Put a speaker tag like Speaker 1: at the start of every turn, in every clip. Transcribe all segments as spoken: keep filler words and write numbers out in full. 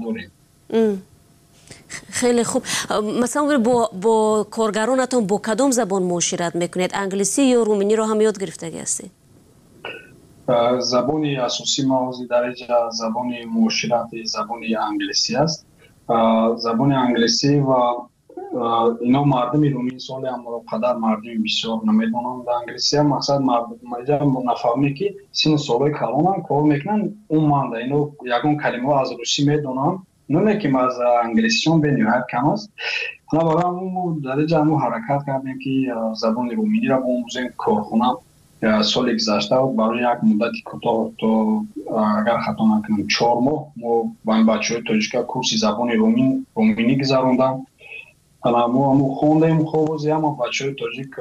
Speaker 1: Дорем.
Speaker 2: Хеле хуб. Масалан, бо бо коргаронатон бо кадом забон муошират мекунед? Англисӣ ё руминиро ҳам ёд гирифтагӣ ҳастед?
Speaker 1: Забони асосӣ мо ҳозир дар инҷа забони муоширати забони англисӣ аст, забони англисӣ. Ва ино мардуми румин соли ҳам қадар мардуми бисёр намедонанд англисия. Мақсад, нафаҳме, ки сину солҳои калонам кор мекунанд, умуман ино ягон калимаҳо аз русӣ медонанд, не ки аз англисишон бениҳоят кам аст. Ана барои ҳамун дар инҷа ҳамун ҳаракат кардем, ки забони руминиро биомӯзем. Корхона соли гузашта барои як муддати кӯтоҳ, то, агар хато накунам, чор моҳ мо ба ин бачаҳои тоҷика курси забони руминӣ гузарондам. Мо ҳамун хондем. Хоб, ози ҳама бачаҳои тоҷик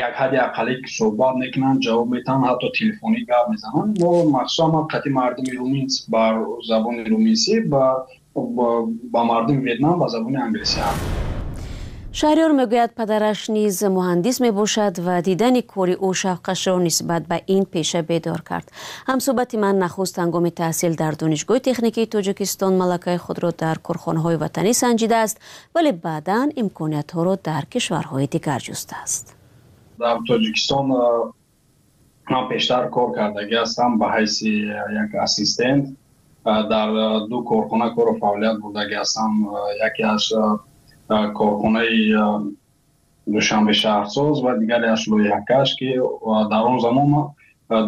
Speaker 1: як ҳадди ақаллӣ суҳбат мекунанд, ҷавоб метаҳанд, ҳатто телефонӣ гап мезананд. Мо махсусан ма қати мардуми румин ба забони руминсӣ, ба мардуми Ветнам ба забони англисӣ ҳарф.
Speaker 2: Шаҳриёр мегӯяд, падараш низ муҳандис мебошад ва дидани кори ӯ шавқашро нисбат ба ин пеша бедор кард. Ҳамсӯҳбати ман нахуст ҳангоми таҳсил дар Донишгоҳи техникии Тоҷикистон малакаи худро дар корхонаҳои ватанӣ санҷидааст, вале баъдан имкониятҳоро дар кишварҳои дигар ҷустааст.
Speaker 1: Дар Тоҷикистон ман пештар кор кардагӣ ҳастам ба ҳайси як ассистент. Дар ду корхона кору фаъолият бурдагӣ ҳастам: яке аз корхонаи Душанбе шаҳрсоз ва дигаре аз лоиҳакаш, ки дар он замон ман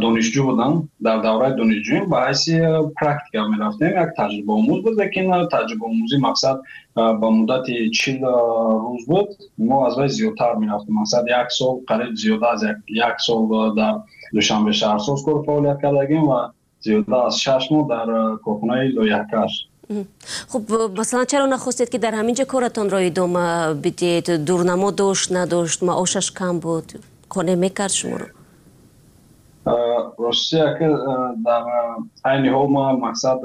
Speaker 1: донишҷӯ будам. Дар давраи донишҷӯем ба ҳайси практика мерафтем, як таҷрибаомӯз буд, лекин таҷрибаомӯзӣ, мақсад, ба муддати чил рӯз буд. Мо аз вай зиёдтар мерафтем, мақсад, як сол, қариб зиёда аз як сол дар Душанбе шаҳрсоз кору фаъолият кардагим ва зиёда аз шаш моҳ дар корхонаи лоиҳакаш.
Speaker 2: Хуб, масалан, чаро нахостед, ки дар ҳамин ҷо коратонро идома бидиҳед? Дурнамо дошт, надошт, маошаш кам буд, қонеъ мекард шуморо?
Speaker 1: Ростия, ки дар айни ҳол ман, мақсад,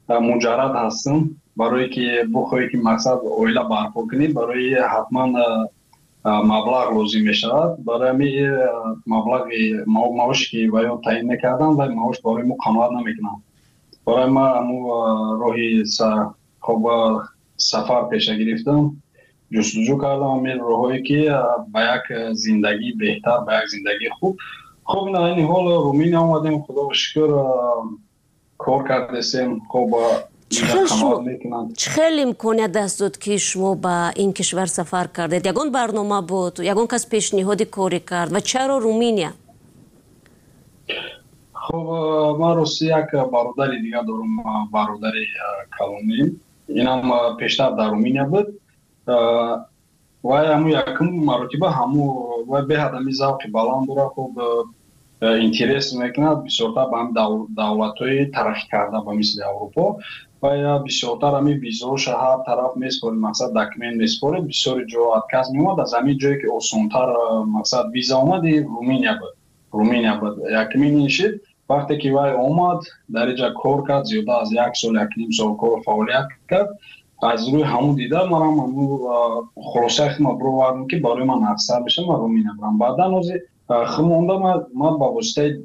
Speaker 1: муҷаррад ҳастам. Барое ки бухоҳӣ, ки, мақсад, оила барпо кунӣ, барои ҳатман маблағ лозим мешавад. Барои ҳамин маблағи маоше, ки ваё таъин мекарданд, вай маош барои мо қаноат намекунанд. Барои ман ҳамун роҳи, хоб, сафар пеша гирифтам, ҷустуҷӯ кардам ҳамин роҳҳое, ки ба як зиндагии беҳтар, ба як зиндагии хуб. Хуб, ин айни ҳол Руминия омадем, худоро шукр, кор кардесем, хоб.
Speaker 2: Чӣ хел имконият даст дод, ки шумо ба ин кишвар сафар кардед? Ягон барнома буд, ягон кас пешниҳоди корӣ кард ва чаро Руминия?
Speaker 1: Хуб, ман рости як бародари дигар дорам, бародари калонӣ, инам пештар дар Руминия буд. Вай ҳамун якум маротиба ҳаму вай беҳад ҳами завқи баланд дорад, хуб, интерес мекунад бисёртар ба ҳами давлатҳои тараққӣ карда, ба мисли Аврупо. Вай бисёртар ҳами визаоша ҳар тараф меспорид, мақсад, документ меспорид, бисёри ҷо отказ меомад. Аз ҳамин ҷое, ки осонтар, мақсад, виза омад, Руминия буд. Руминия буд якумин ин шид. Вақте ки вай омад, дар инҷа кор кард, зиёда аз як сол, якним сол кору фаъолият кард. Аз рӯи ҳамун дида манам ҳамун хулосаи худро бировардам, ки барои ман афзал мешавад ман Руминия барам. Баъдан ози химонда ман ба воситаи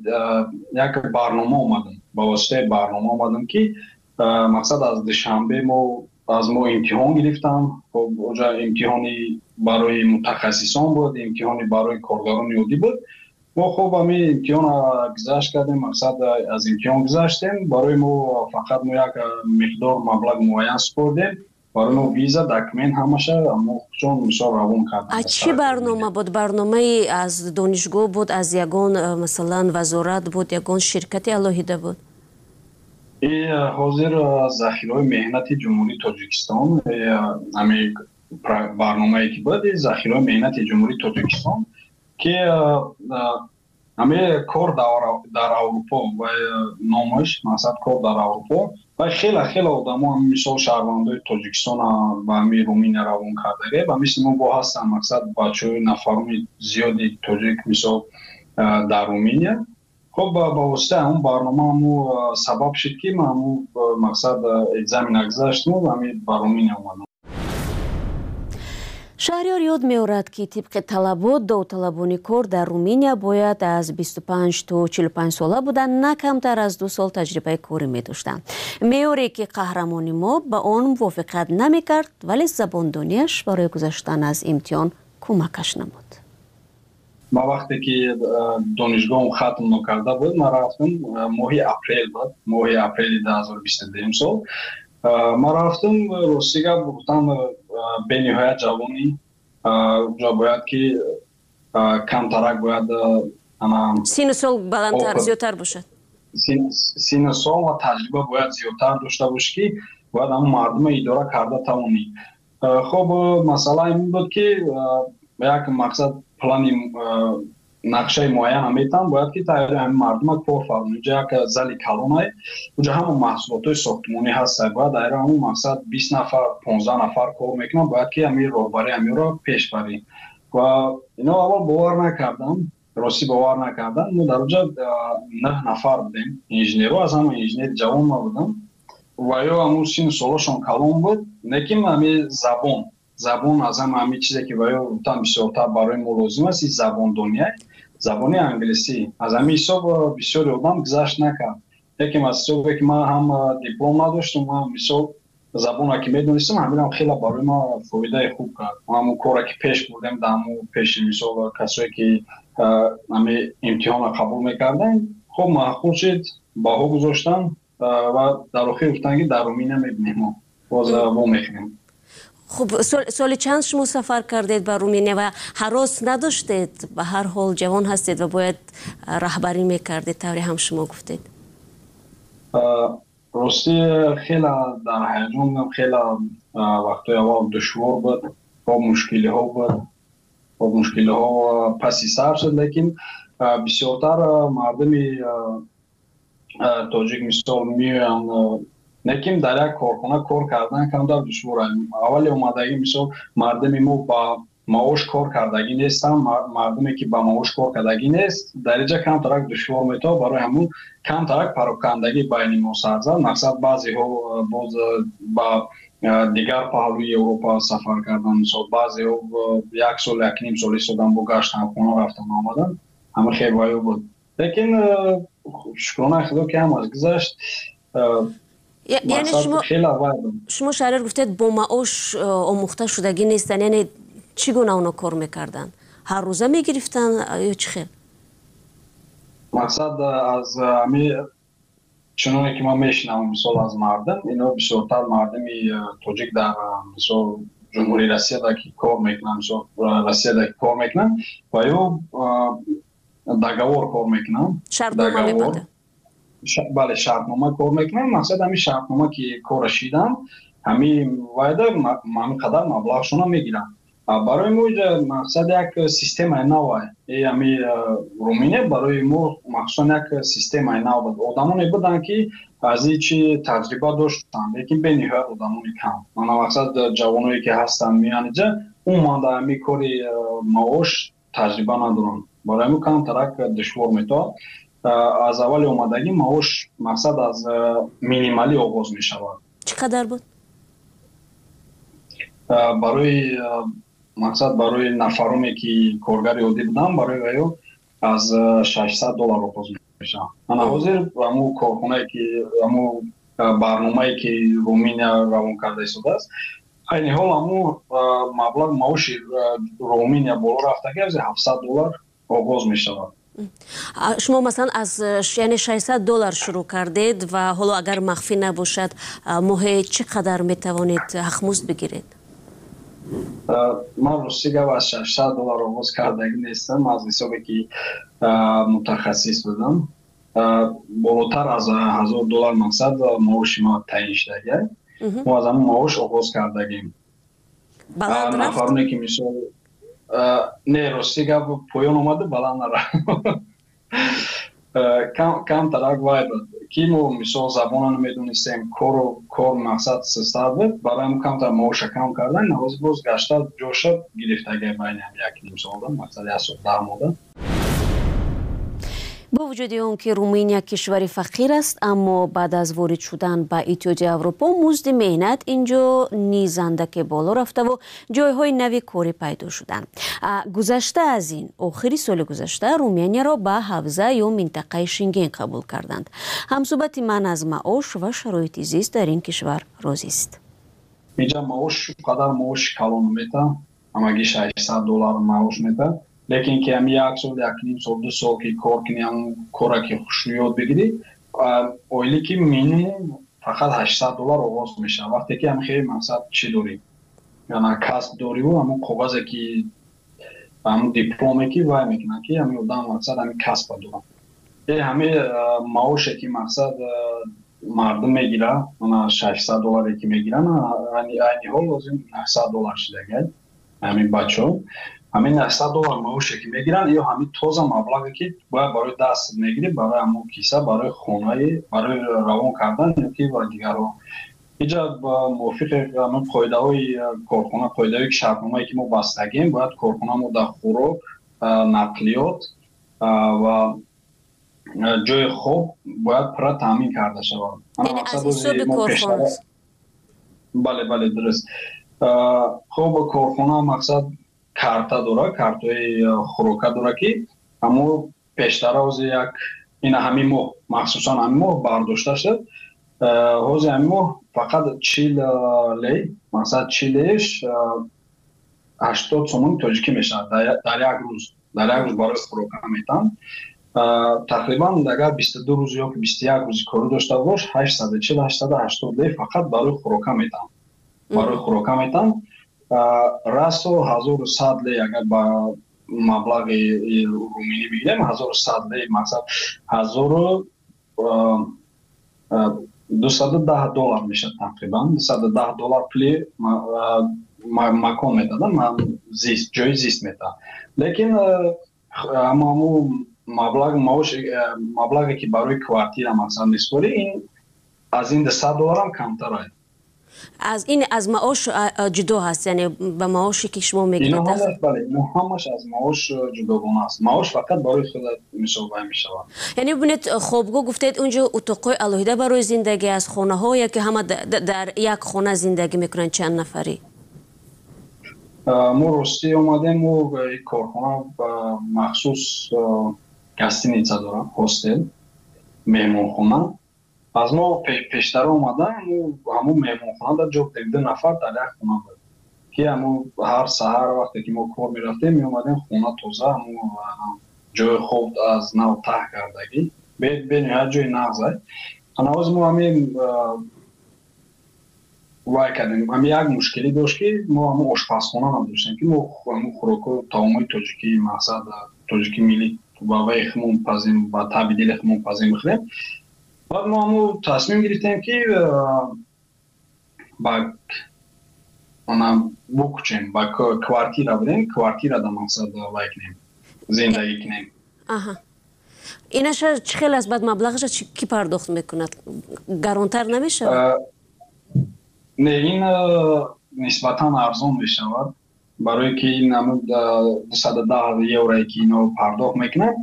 Speaker 1: як барнома омадам, ба воситаи барнома омадам, ки, мақсад, аз Душанбе мо аз мо имтиҳон гирифтам. Хоб, оҷа имтиҳони барои мутахассисон буд, имтиҳони барои коргарони оддӣ буд. Мо, хуб, ҳамин имтиҳон гузашт кардем, мақсад, аз имтиҳон гузаштем. Барои мо фақат мо як миқдор маблағ муайян супордем, барои мо виза, документ, ҳамаша мо чун мисол равон кардем.
Speaker 2: А чӣ барнома буд? Барномаи аз донишгоҳ буд, аз ягон, масалан, вазорат буд, ягон ширкати алоҳида буд?
Speaker 1: Ҳозир захираҳои меҳнати Ҷумҳурии Тоҷикистон, ҳамин барномае ки буд, захираҳои меҳнати Ҷумҳурии Тоҷикистон, ки ҳамин кор дар Аврупо ва номаш, мақсад, кор дар Аврупо. Ва хеле хеле одамо, мисол, шаҳрвандои Тоҷикистон ба ҳамин Руминия равон кардаге. Ба мисли мо бо ҳастанд, мақсад, бачаҳои, нафарони зиёди тоҷик, мисол, дар Руминия. Хуб, ба воситаи ҳамун барнома ҳамун сабаб шуд, ки ман ҳамун, мақсад, экзамена гузаштаму ҳамин ба Руминия омадам.
Speaker 2: Шаҳриёр ёд меорад, ки тибқи талабот довталабони кор дар Руминия бояд аз бисту панҷ то чилу панҷ сола буда, на камтар аз ду сол таҷрибаи корӣ медоштанд. Меъёре, ки қаҳрамони мо ба он мувофиқат намекард, вале забондониаш барои гузаштан аз имтиҳон кӯмакаш намуд.
Speaker 1: Ман вақте ки донишгоҳам хатм накарда буд, ман рафтам, моҳи апрел буд, моҳи апрели ду ҳазору бисту дуюм сол. Ман рафтам, рости гап гуфтам, бениҳоят ҷавонӣ, ҷо бояд ки камтарак бояд
Speaker 2: сину сол баландтар, зиёдтар бошад.
Speaker 1: Сину сол ва таҷриба бояд зиёдтар дошта бошӣ, ки бояд ҳамон мардума идора карда тавонӣ. Хоб, масъала ин буд, ки як мақсад, плани, нақшаи муайян метам, бояд ки тайёри ҳамин мардума кор фармоӣ. Уҷа як зали калонай, уҷа ҳама маҳсулотҳои сохтмонӣ ҳаста, бояд дар ҳамон мақсад бист нафар, понздаҳ нафар кор мекунанд, бояд ки ҳамин роҳбари ҳаминро пеш барӣ. Ва ино аввал бовар накардам, ростӣ бовар накардам. Мо дар уҷа нӯҳ нафар будем инженерҳо, аз ҳама инженери ҷавон ма будам ва ё ҳамун сину солошон калон буд, лекин ҳамин забон забон аз ҳама ҳамин чизе, ки ва ё гуфтам, бисёртар барои мо лозим аст, ин забондония, забони англисӣ. Аз ҳамин ҳисоб бисёри одам гузашт накард. Лекин аз ҳисобе, ки ман ҳам диплом надоштам, ман мисол забонро ки медонистам, ҳаминам хеле барои ман фоидаи хуб кард. Ҳамон коре, ки пеш бурдем, дар ҳамон пеши мисол касое, ки ҳамин имтиҳонро қабул мекардем, хуб маъқул шуд, баҳо гузоштам ва дар охир гуфтанд, ки дар Руминия мебинем, мо боз вомехӯрем.
Speaker 2: Хуб, соли чанд шумо сафар кардед ба Руминия ва ҳарос надоштед? Ба ҳар ҳол ҷавон ҳастед ва бояд раҳбарӣ мекардед, тавре ҳам шумо гуфтед.
Speaker 1: Ростӣ, хеле дар ҳаяҷон будам, хеле вақтҳои аввал душвор буд, бо мушкилиҳо буд, бо мушкилиҳо паси сар шуд, лекин бисёртар мардуми тоҷик мисол меоянд, лекин дар як корхона кор кардан камтар душвор аст. Аввали омадагӣ мисол мардуми мо ба маош кор кардагӣ нестанд, мардуме, ки ба маош кор кардагӣ нест, дар инҷа камтарак душвор метавад. Барои ҳамун камтарак парокандагӣ байни мо сар зад. Мақсад, баъзеҳо боз ба дигар паҳлӯи Европа сафар карданд, мисол баъзеҳо як сол, як ним сол истодан, бо гаштан, хона рафтан, омадан, ҳама хел ваё буд. Лекин шукронаи Худо, ки ҳамаш гузашт.
Speaker 2: Яъне шумо шумо Шаҳриёр, гуфтед, бо маош омӯхта шудагӣ нестанд, яъне чӣ гуна оно кор мекарданд? Ҳар рӯза мегирифтанд ё чӣ хел?
Speaker 1: Мақсад, аз ҳами чуноне ки ман мешинавам, мисол аз мардум, ино бисёртар мардуми тоҷик дар мисол Ҷумҳурии Россияда ки кор мекунанд, мисол Россияда ки кор мекунанд, ва ё договор кор мекунанд.
Speaker 2: Шартнома мебанданд.
Speaker 1: Бале, шартнома кор мекунанд. Мақсад, ҳамин шартнома ки кора шиданд, ҳамин вайда ҳамин қадар маблағшонро мегиранд. Барои мо инҷа мақсад як системаи нав, ҳами Руминия барои мо махсусан як системаи нав буд. Одамоне буданд, ки аз ин чи таҷриба доштанд, лекин бениҳоят одамони кам. Мана, мақсад, ҷавоное, ки ҳастанд меоянд инҷа, умуман дар ҳамин кори маош таҷриба надоранд. Барои ҳамин камтарак душвор метавад. Аз аввали омадагӣ маош, мақсад, аз минималӣ оғоз мешавад.
Speaker 2: Чӣ қадар буд?
Speaker 1: Барои мақсад, барои нафароне, ки коргари оддӣ буданд, барои ваё аз шашсад доллар оғоз мешавад. Ана ҳозир ҳамун корхонае, ки ҳамун барномае, ки Руминия равон карда истодааст, айни ҳол ҳамун маблағ маоши Руминия боло рафтаги, аз ҳафтсад доллар оғоз мешавад.
Speaker 2: Шумо масалан аз, яъне, шашсад доллар шурӯъ кардед ва ҳоло, агар махфӣ набошад, моҳе чӣ қадар метавонед ҳақмузд бигиред?
Speaker 1: Ман рости гап аз шашсад доллар оғоз кардагӣ нестам. Аз ҳисобе ки мутахассис будам, болотар аз ҳазор доллар, мақсад, маоши ма таъин шудагӣ. Мо аз ҳамон маош оғоз кардагим. Нафароне, ки мисол, не, рости гап, поён омаду, баланд нарафт, камтарак вай буд, ки мо мисол забонро намедонистем, кору кор, мақсад, сустар буд. Барои ҳамон камтар маоша кам кардан. Ҳозир боз гашта ҷоша гирифтагӣ байни ҳам як ним солда, мақсад, як сол даҳ моҳда.
Speaker 2: Бо вуҷуди он ки Руминия кишвари фақир аст, аммо баъд аз ворид шудан ба Иттиҳоди Аврупо музди меҳнат инҷо низ андаке боло рафтаву ҷойҳои нави корӣ пайдо шуданд. Гузашта аз ин, охири соли гузашта Руминияро ба ҳавза ё минтақаи Шенген қабул карданд. Ҳамсӯҳбати ман аз маош ва шароити зист дар ин кишвар розист.
Speaker 1: Инҷа маош қадар маоши калон мета, ҳамагӣ шашсад доллар маош мета. Лекин ки ҳами як сол, як ним сол, ду сол ки кор кунӣ, ҳамун кора ки хушрӯёд бигирӣ, оилӣ ки минимум фақат ҳаштсад доллар оғоз мешавад. Вақте ки ҳами хеле мақсад чӣ дорӣ, яъне касб дориву ҳамун коғазе ки ҳамун дипломе ки вай мекунад, ки ҳамин одам мақсад ҳамин касба дорад. Э ҳами маоше ки мақсад мардум мегирад, мана шашсад долларе ки мегиранд, айни ҳол лозим наҳсад доллар шидагай ҳамин бачаҳо. Ҳамин наҳсад доллар маоше ки мегиранд, ё ҳамин тоза маблағе ки бояд барои даст мегирӣ, барои ҳамон киса, барои хонаи, барои равон кардан ё ки ва дигарҳо. Инҷа мувофиқи ҳамин қоидаҳои корхона, қоидаҳое ки шартномае ки мо бастагем, бояд корхона мо дар хӯрок, нақлиёт ва ҷои хоб бояд пурра таъмин карда шавад.
Speaker 2: Яъне аз ҳисоби корхона?
Speaker 1: Бале, бале, дуруст. Хоб корхона мақсад карта дора, картаи хӯрока дора, ки ҳамо пештара ҳози як ина ҳамин моҳ, махсусан ҳамин моҳ бардошта шуд. Ҳози ҳамин моҳ фақат чил лей, мақсад чил лейш ҳаштод сомони тоҷикӣ мешавад дар як рӯз, дар як рӯз барои хӯрока метаҳанд. Тақрибан агар бисту ду рӯз ё бисту як рӯзи корӣ дошта бош, ҳаштсаду чил, ҳаштсаду ҳаштод лей фақат барои хӯрока метаҳанд. Барои хӯрока метаҳанд. Расо ҳазору сад лей агар ба маблағи руминӣ бигирем, ҳазору сад лей мақсад ҳазору дусаду даҳ доллар мешавад тақрибан. Дусаду даҳ доллар пули макон медоданд, зист, ҷои зист метаҳанд. Лекин ҳамаҳаму маблағ, маош, маблағе ки барои квартира мақсад меспорӣ, ин аз ин дусад долларам камтар аст.
Speaker 2: Аз ин аз маош ҷудо ҳаст, яъне ба маоше ки шумо мегиред?
Speaker 1: Ино ҳамаш, бале, ино ҳамаш аз маош ҷудогона аст. Маош фақат барои худат мисол вай мешавад.
Speaker 2: Яъне бибинед, хобгоҳ гуфтед, унҷо утоқҳои алоҳида барои зиндагӣ аст, хонаҳо ё ки ҳама дар як хона зиндагӣ мекунанд, чанд нафарӣ?
Speaker 1: Мо ростӣ омадем, мо корхона махсус гостиница дорад, хостел, меҳмонхона. Аз мо пештара омадан, ҳамун меҳмонхона дар ҷо ду нафар дар як хона буд, ки ҳамун ҳар саҳар вақте ки мо кор мерафтем, меомадем хона тоза, ҳамун ҷои хоб аз нав таҳ кардагӣ, бениҳоят ҷои нағз аст. Ҳанӯз мо ҳамин вай кардем, ҳамин як мушкилӣ дошт, ки мо ҳамун ошпазхона надоштем, ки мо ҳамун хӯрокҳо, таомҳои тоҷикӣ, мақсад тоҷикӣ миллӣ ба вай худмон пазем, ба таби дили худмон пазем бихӯрем. Баъд мо ҳамун тасмим гирифтем, ки ба ана букучем, ба квартира бирем, квартира да мақсад вай кунем, зиндагӣ кунем.
Speaker 2: Аҳа. Инаша чӣ хел аст? Баъд маблағаша кӣ пардохт мекунад? Гаронтар намешавад?
Speaker 1: Не, ин нисбатан арзон мешавад, барое ки ин ҳамун дусаду даҳ еврое ки ино пардохт мекунад,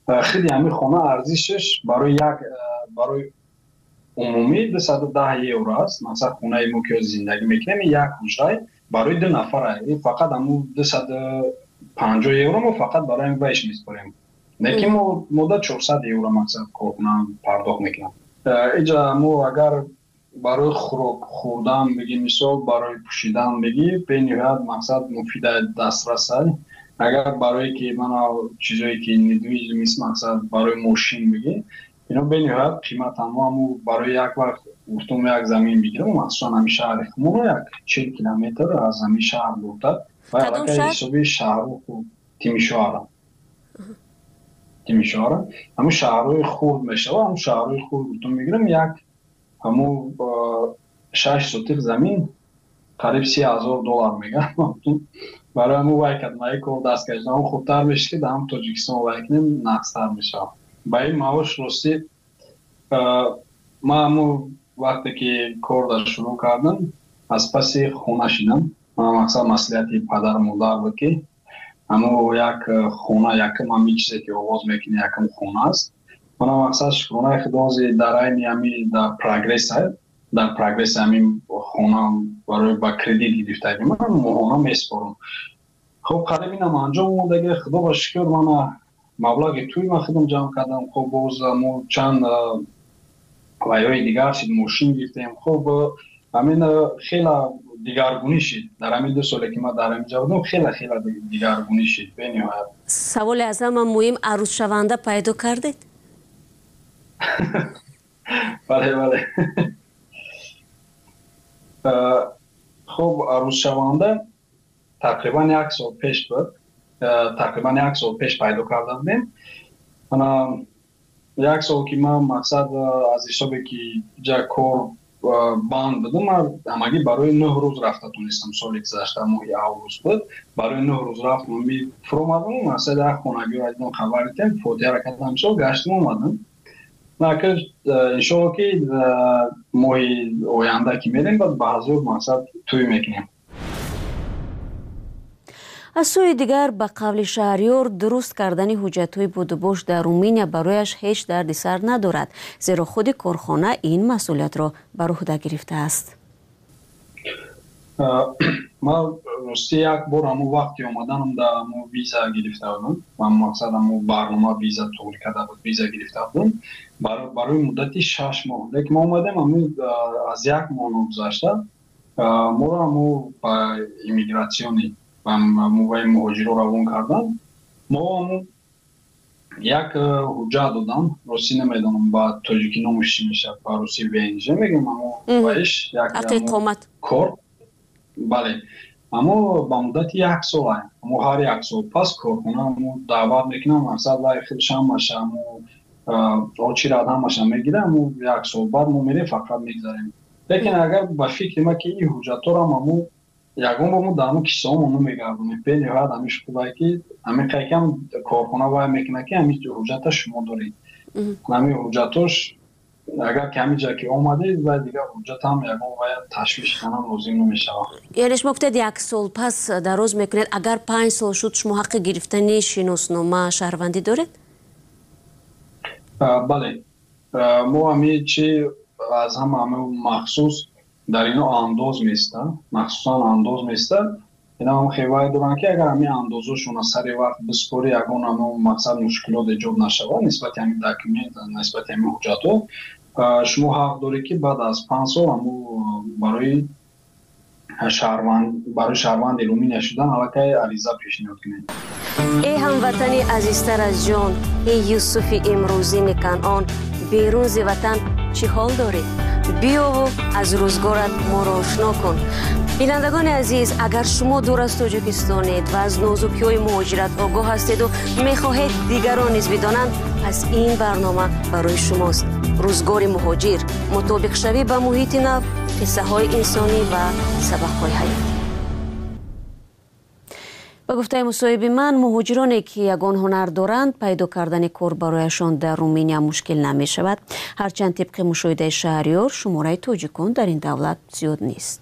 Speaker 1: худи ҳамин хона арзишаш барои як, барои умумӣ дусаду даҳ евро аст. Масалан, хонаи мо ки зиндагӣ мекунем, як ҳуҷрай барои ду нафар аст. Ин фақат ҳамун дусаду панҷоҳ евро мо фақат барои ҳамин вайш меспорем. Лекин мо мода чорсад евро мақсад корхона пардохт мекунад. Инҷа мо агар барои хӯрок хӯрдан бигӣ, мисол барои пӯшидан бигӣ, бениҳоят мақсад муфида дастрас аст. Агар барое ки мана чизое ки недвижимость мақсад барои мошин бигӣ, ино бениҳоят қиматан. Мо ҳамун барои як вақт гуфтум як замин бигирем, махсусан ҳамин шаҳри худмон як чил километр аз ҳамин шаҳр дуртар, ва аллакай ҳисоби шаҳру Тимишоара, Тимишоара ҳамун шаҳрҳои хурд мешавад. Ҳамун шаҳрҳои хурд гуфтум мегирем, як ҳамун шаш сотиқ замин қариб си ҳазор доллар мегӯяд. Барои ҳамун вай кардем, ай кор даст кашидем. Ҳамун хубтар мешид, ки дар ҳам Тоҷикистон вай кунем, нақстар мешавад. Ба ин маош ростӣ ман ҳамун вақте ки кор дар шурӯъ кардам, аз паси хона шидам. Ман мақсад маслиҳати падару модар буд, ки ҳамун як хона, якум ҳамин чизе ки оғоз мекунӣ, якум хона аст. Мана мақсад шукронаи Худо ҳозир дар айни ҳами дар прогресс дар прогресс ҳамин хона барои ба кредит гирифтагӣ ман моҳона меспорам. Хоб қариб инам анҷом омадаги, Худо ба шукр, мана маблағи тӯй ман худам ҷамъ кардам. Хоб боз мо чанд вайҳои дигар шид, мошин гирифтем. Хоб ҳамин хела дигаргунӣ шид дар ҳамин ду соле ки ман дар ҳамин ҷо будам, хела хела дигаргунӣ шид бениҳоят.
Speaker 2: Саволи аз ҳама муҳим: арӯзшаванда пайдо кардед?
Speaker 1: Бале, бале. Хуб, арӯзшаванда тақрибан як сол пеш буд, тақрибан як сол пеш пайдо карда будем. Ана як сол ки ман мақсад аз ҳисобе ки ҷа кор банд будам, ман ҳамагӣ барои нӯҳ рӯз рафта тонистам. Соли гузашта моҳи август буд, барои нӯҳ рӯз рафтам, фуромадам, мақсад як хонагиро дидам, хабар дидем, фотиҳаро кардам, мисол гаштам, омадам. Иншоалло ки моҳи оянда ки мерем, баъд ба ҳазур мақсад тӯй мекунем.
Speaker 2: Аз сӯи дигар, ба қавли Шаҳриёр, дуруст кардани ҳуҷҷатҳои будубош дар Руминия барояш ҳеҷ дарди сар надорад, зеро худи корхона ин масъулиятро бар уҳда гирифтааст.
Speaker 1: Ман рости як бор ҳамун вақти омаданам да ҳамун виза гирифта будам, ман мақсад ҳамун барнома виза туғри карда буд, виза гирифта будам барои муддати шаш моҳ. Лекин мо омадем, ҳамун аз як моҳ ногузашта моро ҳамун ба иммигратсиони ваи муҳоҷиро равон кардан. Мо ҳамун як ҳуҷҷат додам, ростӣ намедонам ба тоҷикӣ номаш чӣ мешавад, ба русӣ В Н Ж мегӯем, ҳамун ваиш як кор. Бале, аммо ба муддати як сол, амо ҳар як сол пас корхона амо даъват мекунам, мақсад вай худаш ҳамаша амо очирад ҳамаша мегира, амо як сол баъд мо мерем, фақат мегзарем. Лекин агар ба фикри ман ки ин ҳуҷҷатҳоро амо ягон бор мо дар ҳамун кисаҳомо намегардонем, бениҳоят ҳамин хубае ки ҳамин қайкам корхона вай мекунад ки ҳамин ҳуҷҷата шумо доред, ҳамин ҳуҷҷатош агар ки ҳамин ҷа ки омадед, вай дигар ҳуҷҷатам ягон вай ташвиш канам лозим намешавад.
Speaker 2: Яъне шумо гуфтед, як сол пас дароз мекунед. Агар панҷ сол шуд, шумо ҳаққи гирифтани шиноснома, шаҳрвандӣ доред?
Speaker 1: Бале, мо ҳамин чи аз ҳама ҳамин махсус дар ино андоз места, махсусан андоз места. Ина ҳам хевай доранд ки агар ҳамин андозошона сари вақт биспорӣ, ягон ҳамон мақсад мушкилот эҷод нашавад нисбати ҳамин документ, нисбати ҳамин ҳуҷҷатҳо, шумо ҳақ доред ки баъд аз панҷ сол ҳамун барои шаҳрванд барои шаҳрванди Руминия шудан аллакай ариза пешниҳод кунед.
Speaker 2: Эй ҳамватани азизтар аз ҷон, эй Юсуфи имрӯзини Канъон, берун зи ватан чӣ ҳол дорӣ? Биёву аз рӯзгорат моро ошно кун. Бинандагони азиз, агар шумо дур аз Тоҷикистонед ва аз нозукиҳои муҳоҷират огоҳ ҳастеду мехоҳед дигарон низ бидонанд, пас ин барнома барои шумост. Рӯзгори муҳоҷир, мутобиқшавӣ ба муҳити нав, қиссаҳои инсонӣ ва сабақҳои ҳаёт. Ба гуфтаи мусоҳиби ман, муҳоҷироне ки ягон ҳунар доранд, пайдо кардани кор барояшон дар Руминия мушкил намешавад, ҳарчанд тибқи мушоҳидаи Шаҳриёр, шумораи тоҷикон дар ин давлат зиёд нест.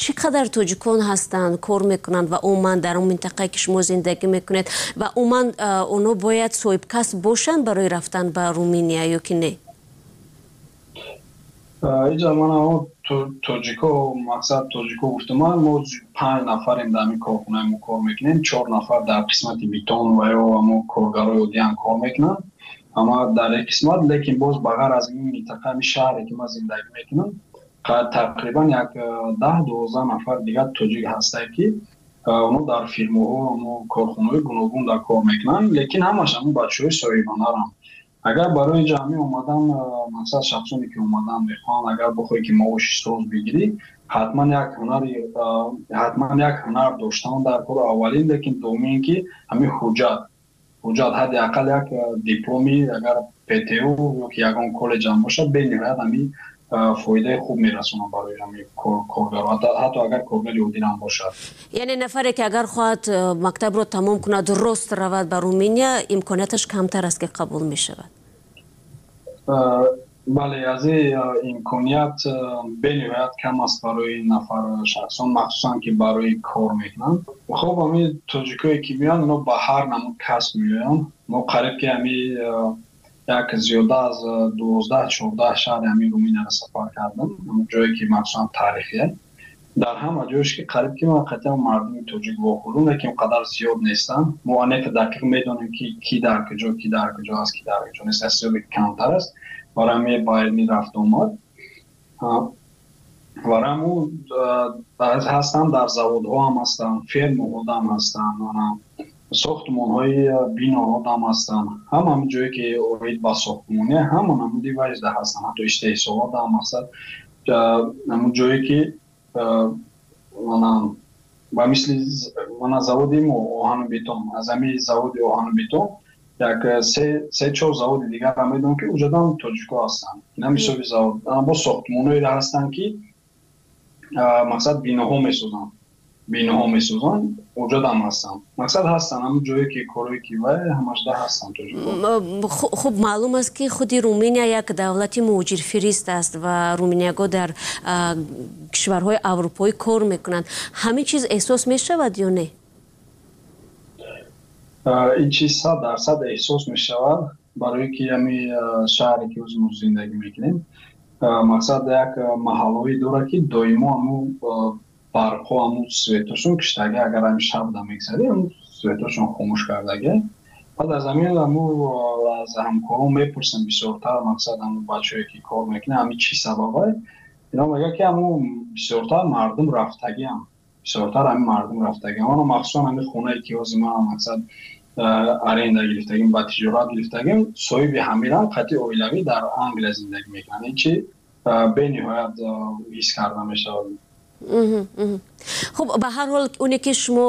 Speaker 2: Чӣ қадар тоҷикон ҳастанд, кор мекунанд ва умуман дар он минтақае ки шумо зиндагӣ мекунед, ва умуман онҳо бояд соҳибкасб бошанд барои рафтан ба Руминия ё ки не?
Speaker 1: Иҷа ман тоҷико, мақсад тоҷико гуфтам, мо панҷ нафарем дар ҳамин корхонаи мо кор мекунем. Чор нафар дар қисмати бетон ва ё ҳамо коргарои оддиам кор мекунанд, ама дар як қисмат. Лекин боз ба ғайр аз ин минтақа, ҳамин шаҳре ки ман зиндагӣ мекунам, тақрибан як даҳ дувоздаҳ нафар дигар тоҷик ҳастанд, ки онҳо дар фирмаҳо, ҳамо корхонаҳои гуногун дар кор мекунанд, лекин ҳамаш ҳамон бачаҳои соҳибҳунаранд. Агар барои ҷамъӣ омадан, мақсад шахсоне ки омадан мехоҳанд, агар бихоҳӣ ки маоши соз бигирӣ, ҳатман як ҳунари ҳатман як ҳунар доштан дар кор аввалин. Лекин дуввум ин ки ҳамин ҳуҷҷат ҳуҷҷат ҳадди ақал як дипломи агар П Т У ё ки ягон коллеҷам бошад, бениҳоят ҳамин фоидаи хуб мерасонад барои ҳамин коргаро, ҳатто агар коргари оддиам бошад.
Speaker 2: Яъне нафаре ки агар хоҳад мактабро тамом кунад, рост равад ба Руминия, имконияташ камтар аст ки қабул мешавад?
Speaker 1: Бале, аз ин имконият бениҳоят кам аст барои нафар шахсон, махсусан ки барои кор мекунанд. Хуб, ҳамин тоҷикое ки меоянд, ино ба ҳар намуд касб меоянд. Мо қариб ки ҳамин Як зиёда аз дувоздаҳ чордаҳ шаҳри ҳамин Руминияро сафар кардам, ҷое ки махсусан таърихие. Дар ҳама ҷоеш ки қариб ки ман қатъиан мардуми тоҷик вохӯрдам, лекин он қадар зиёд нестанд. Мо анека дақиқ медонем ки ки дар куҷо, ки дар куҷо аст, ки дар куҷо нест, аз ҳисоби камтар аст. Барои ҳамин ба илми рафту омад. Барои ҳамун ҳастанд, дар заводҳо ҳам ҳастанд, фермаҳо ҳам ҳастанд, сохтмонҳои биноҳо ҳам ҳастанд. Ҳама ҳамин ҷое ки оид ба сохтмоне, ҳама намуди ваҷда ҳастанд, ҳатто истеҳсолот ҳам ҳастанд. Ҳамун ҷое ки ба мисли мана заводи мо оҳану бетон, аз ҳамин заводи оҳану бетон як се чор заводи дигарро медонам ки уҷодан тоҷикҳо ҳастанд. Ина ҳисоби завод. Бо сохтмонҳоеро ҳастанд ки мақсад биноҳо месозанд, биноҳо месозанд, уҷодам ҳастанд. Мақсад ҳастанд ҳамун ҷое ки корое ки вай ҳамашда ҳастанд тоҷикҳо.
Speaker 2: Хуб, маълум аст ки худи Руминия як давлати муҳоҷирфирист аст ва руминиягҳо дар кишварҳои аврупоӣ кор мекунанд. Ҳамин чиз эҳсос мешавад ё не?
Speaker 1: Ин чиз сад дарсад эҳсос мешавад, барое ки ҳамин шаҳре ки мо зиндагӣ мекунем, мақсад як маҳаллое дорад ки доимо ҳамун барқҳо, ҳамун светошон киштагӣ, агар ҳамин шаб да мегзарӣ, ҳамун светошон хомӯш кардагӣ. Баъд аз ҳамин ҳамун аз ҳамкорон мепурсам бисёртар, мақсад ҳамун бачаҳое ки кор мекунанд, ҳамин чӣ сабабае? Ино мегӯяд ки ҳамун бисёртар мардум рафтагиам, бисёртар ҳамин мардум рафтагиам. Ана махсусан ҳамин хонае ки ҳозир ман мақсад аренда гирифтагим, ба тиҷорат гирифтагим, соҳиби ҳамирам қатъи оилавӣ дар Англия зиндагӣ мекунанд. Ин чи бениҳоят ҳис карда мешавад.
Speaker 2: Хуб, ба ҳар ҳол оне ки шумо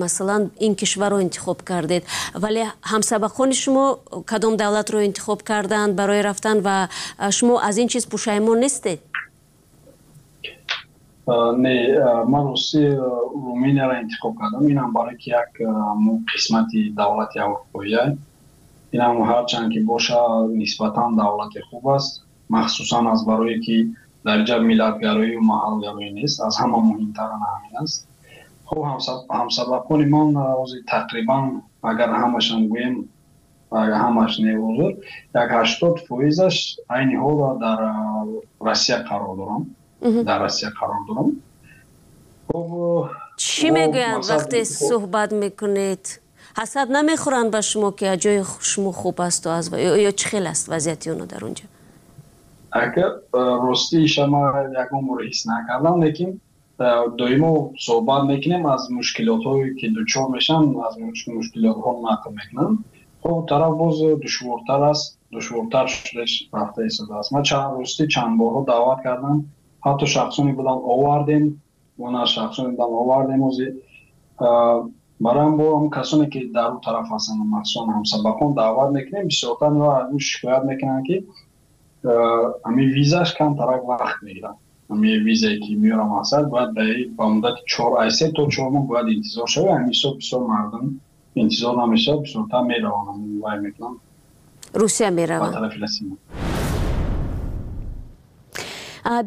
Speaker 2: масалан ин кишварро интихоб кардед, вале ҳамсабақони шумо кадом давлатро интихоб карданд барои рафтан ва шумо аз ин чиз пушаймон нестед?
Speaker 1: Не, ман рости Руминияро интихоб кардам. Инам барое ки як қисмати давлати аврупоия. Инам ҳарчанд ки боша нисбатан давлати хуб аст, махсусан аз барое ки дар ҷа миллатгароию маҳалгароӣ нест, аз ҳама муҳимтар ҳамин аст. Хуб, ҳамсабақони ман ҳозир тақрибан агар ҳамашам гӯем, ҳамаш не, ҳозир як ҳаштод фоизаш айни ҳол дар Россия қарор дорам, дар Россия қарор дорам. Хуб,
Speaker 2: чӣ мегӯянд вақте суҳбат мекунед? Ҳасад намехӯранд ба шумо ки ҷои шумо хуб асту аз ё чӣ хел аст вазъияти онҳо дар онҷо?
Speaker 1: Агар ростиша ман ягон бор ҳис накардам, лекин доимо суҳбат мекунем, аз мушкилотҳое ки дучор мешаванд, аз мушкилотҳо нақл мекунанд. Хуб, тараф боз душвортар аст, душвортар шуда рафта истодааст. Ман рости чанд борҳо даъват кардам, ҳатто шахсоне будам овардем, она шахсоне будам овардем ҳозир. Барои бо ҳам касоне ки дар он тараф ҳастанд, махсусан ҳамсабақон даъват мекунем, бисёртар шикоят мекунанд ки ҳамин визаш камтарак вақт мегирад. Ҳамин визае ки меорам мақсад бояд ба муддати чор ай се то чор моҳ бояд интизор шавад. Ҳамин ҳисоб бисёр мардум интизор намешавад, бисёртар мераванд, вай мекунанд,
Speaker 2: Русия мераванд,
Speaker 1: ба тарафи Россия.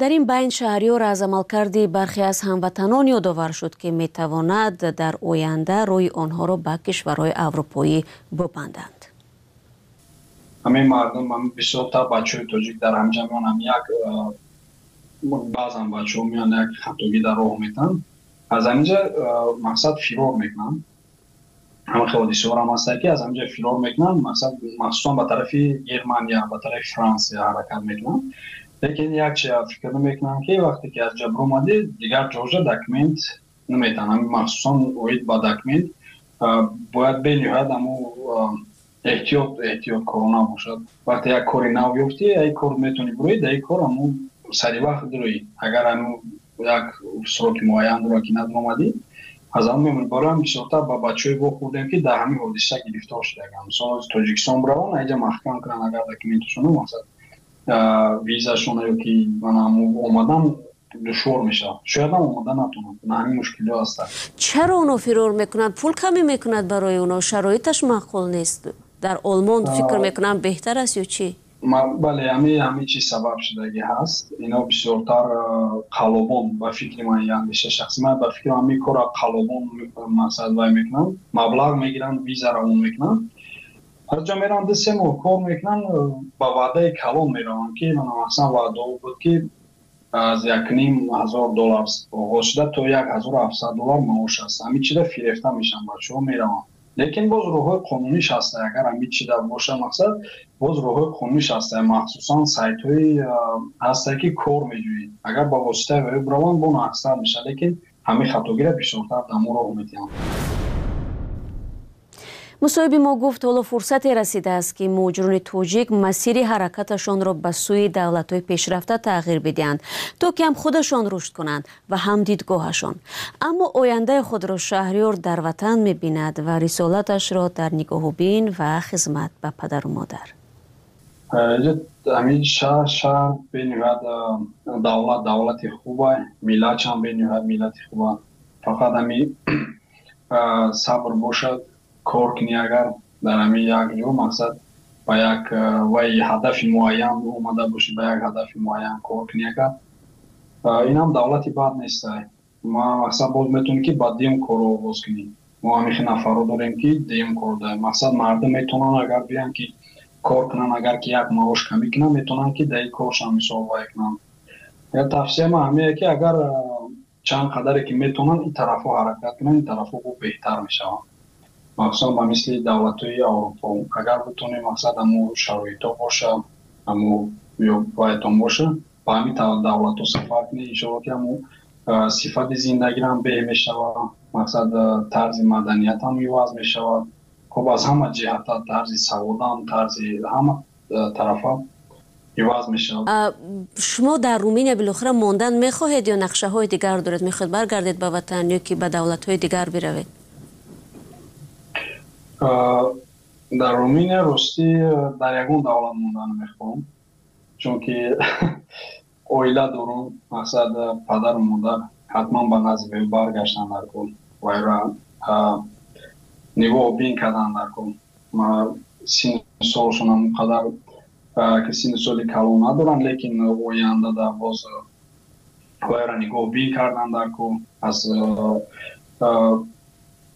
Speaker 2: Дар ин байн Шаҳриёр аз амалкарди бархе аз ҳамватанон ёдовар шуд ки метавонад дар оянда рӯи онҳоро ба кишварҳои аврупоӣ бибанданд.
Speaker 1: Ҳамин мардум, ҳамин бисёртар бачаҳои тоҷик дар ҳамҷа меоянд, ҳам як баъзан бачаҳо меоянд, як хатогӣ дар роҳ метаҳанд, аз ҳаминҷа мақсад фирор мекунанд. Ҳамин хел ҳодисаҳоам ҳастанд ки аз ҳаминҷа фирор мекунанд, мақсад махсусан ба тарафи Германия, ба тарафи Франсия ҳаракат мекунанд. Лекин як чи фикр намекунам ки вақте ки аз ҷа биромадӣ, дигар ҷоҷа документ наметаҳанд. Ҳамин махсусан оид ба документ бояд бениҳоят ҳамун эҳтиёт эҳтиёткорона бошад. Вақте як кори нав ёфтӣ, ай кор метавонӣ бироӣ, дар ин кор ҳамун сари вақт дироӣ. Агар ҳамун як сроки муайян дорад ки надиромадӣ, аз ҳамун мемонӣ. Барои ҳам бисёртар ба бачаҳое вохӯрдем ки дар ҳамин ҳодиса гирифтор шудаганд. Мисол Тоҷикистон бираванд, айҷа маҳкам кунанд агар документашонро, мақсад визашон ё ки омадан душвор мешавад. Шояд ҳам омада натавонанд. На ҳамин мушкилиҳо ҳастанд.
Speaker 2: Чаро онҳо фирор мекунанд? Пул камӣ мекунад барои онҳо, шароиташ маъқул нест. Дар Олмон фикр мекунам беҳтар аст ё чӣ?
Speaker 1: Бале, ҳамин ҳамин чиз сабаб шудагӣ ҳаст. Ино бисёртар қалобон, ба фикри ман, андеша шахси ман, ба фикри ман ҳамин корро қалобон мақсад вай мекунанд, маблағ мегиранд, виза равон мекунанд. Аз ҷо мераванд, ду се моҳ кор мекунанд, ба ваъдаи калон мераванд, ки махсусан ваъдао буд, ки аз як ним ҳазор доллар оғоз шуда то як ҳазору ҳафтсад доллар маош аст. Ҳамин чида фирефта мешаванд, бачаҳо мераванд. Лекин боз роҳҳои қонуниш ҳаст. Агар ҳамин чида боша мақсад, боз роҳҳои қонуниш ҳаст. Махсусан сайтҳои ҳастае, ки кор меҷӯед. Агар ба воситаи вай бираванд, бо нақстар мешавад, лекин ҳамин хатогиро бисёртар дар мо роҳ медиҳанд.
Speaker 2: Мусоҳиби мо гуфт, ҳоло фурсате расидааст, ки муҳоҷирони тоҷик масири ҳаракаташонро ба сӯи давлатҳои пешрафта тағйир бидиҳанд, то ки ҳам худашон рушд кунанд ва ҳам дидгоҳашон. Аммо ояндаи худро Шаҳриёр дар ватан мебинад ва рисолаташро дар нигоҳубин ва хизмат ба падару модар.
Speaker 1: Ҳамин шаҳр шаҳр бениҳоят давлат давлати хуба, миллатшам бениҳоят миллати хуба. Фақат ҳамин сабр бошад, кор кунӣ. Агар дар ҳамин як ҷо мақсад ба як вай ҳадафи муайян омада бошӣ, ба як ҳадафи муайян кор кунӣ, агар инам давлати бад нест. Ма мақсад боз метавонӣ, ки ба дуюм корро оғоз кунӣ. Мо ҳамин хел нафарро дорем, ки дуюм кор дорем. Мақсад мардум метавонанд, агар биёянд, ки кор кунанд, агар ки як маош камӣ кунанд, метавонанд, ки дар ин коршам мисол вай кунанд. Тавсияи ман ҳамине, ки агар чанд қадаре ки метавонанд, ин тарафҳо ҳаракат кунанд, ин тарафҳо бо беҳтар мешаванд. Махсусан ба мисли давлатҳои Аврупо. Агар битонем, мақсад ҳамо шароитҳо боша, ҳамо вайтон боша, ба ҳамин давлатҳо сафар кунед, иншоалло, ки ҳамо сифати зиндагиам беҳ мешавад, мақсад тарзи маданиятам иваз мешавад. Хуб, аз ҳама ҷиҳата, тарзи саводам, тарзи ҳама тарафа иваз мешавад.
Speaker 2: Шумо дар Руминия билохира мондан мехоҳед ё нақшаҳои дигар доред? Мехоҳед баргардед ба ватан ё ки ба давлатҳои дигар биравед?
Speaker 1: Дар Руминия ростӣ дар ягон давлат мондан мехоҳам, чунки оила дорум, мақсад падару модар ҳатман ба назди вай баргаштан дар кор, вайра нигоҳ бин кардан дар кор. Синну солшон он қадар ки синну соли калон надоранд, лекин оянда дар боз вайра нигоҳ бин кардан дар кор, аз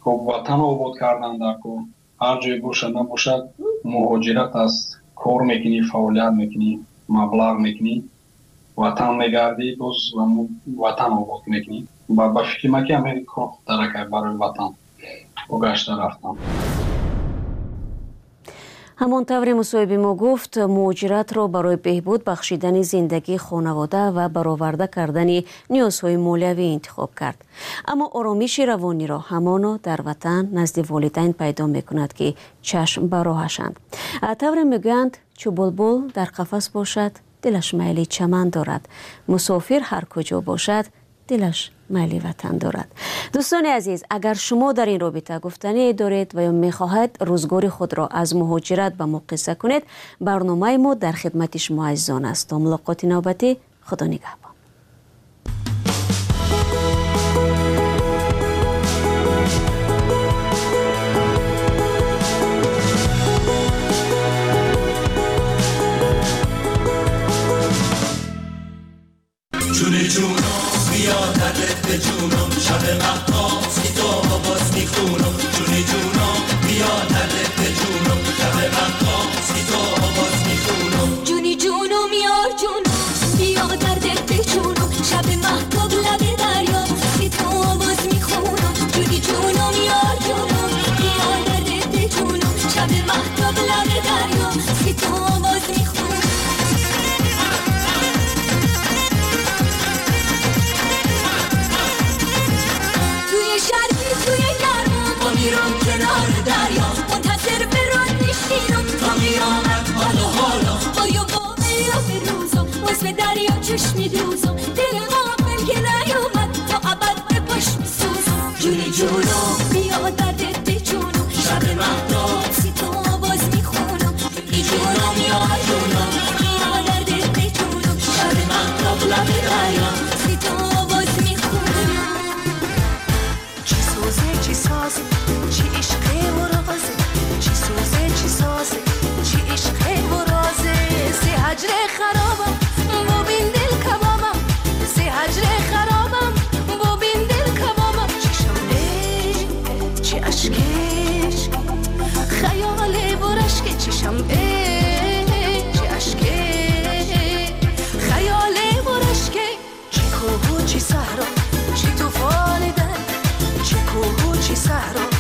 Speaker 1: ватан обод кардан дар кор. Ҳар ҷое бошад набошад, муҳоҷират аст, кор мекунӣ, фаъолият мекунӣ, маблағ мекунӣ, ватан мегардӣ, боз ватан обод мекунӣ. Ба фикри ман, ки ҳамин кор хубтар барои ватан гашта рафтан.
Speaker 2: Ҳамон тавре мусоҳиби мо гуфт, муҳоҷиратро барои беҳбуд бахшидани зиндагии хонавода ва бароварда кардани ниёзҳои молиявӣ интихоб кард. Аммо оромиши равониро ҳамоно дар ватан назди волидайн пайдо мекунад, ки чашм ба роҳашанд. Тавре мегӯянд, чу булбул дар қафас бошад, дилаш майли чаман дорад. Мусофир ҳар куҷо бошад, дилаш майли ватан дорад. Дӯстони азиз, агар шумо дар ин робита гуфтание доред ва ё мехоҳед рӯзгори худро аз муҳоҷират ба мо қисса кунед, барномаи мо дар хидмати шумо азизон аст. То мулоқоти навбатӣ, Худо нигаҳбон.
Speaker 3: جونم شب مهتاب سی تو آواز میخونم، جونی جونم بیا دردت به جونم، شب مهتاب سی تو آواز میخونم،
Speaker 4: جونی جونم یار جونم بیا دردت به جونم، شب مهتاب لب دریا سی تو آواز میخونم، جونی جونم یار جونم بیا دردت به جونم، شب مهتاب لب دریا سی تو آواز میخونم.
Speaker 3: میرم کنار دریا،
Speaker 4: منتظر برات میشینم
Speaker 3: تا قیامت حالا حالا،
Speaker 4: آیا با به روزم باز به دریا چشم میدوزم، دل غافل که نیومد تا ابد به پاش میسوزم، جونی جونم بیا دردت به جونم،
Speaker 3: شب مهتاب
Speaker 4: سی تو آواز میخونم،
Speaker 3: جونی جونم یار جونم
Speaker 4: بیا دردت به جونم،
Speaker 3: شب مهتاب لب دریا
Speaker 4: سی تو آواز میخونم.
Speaker 5: چی سوزه چی سازه چی عشقه و رازه، چی سوزه چی سازه چی عشقه و رازه، سی هجر خرابم ببین دل کبابم، سی هجر خرابم ببین دل کبابم، چشم چی صحرا، چی طوفان در، چه کوه و چی صحرا.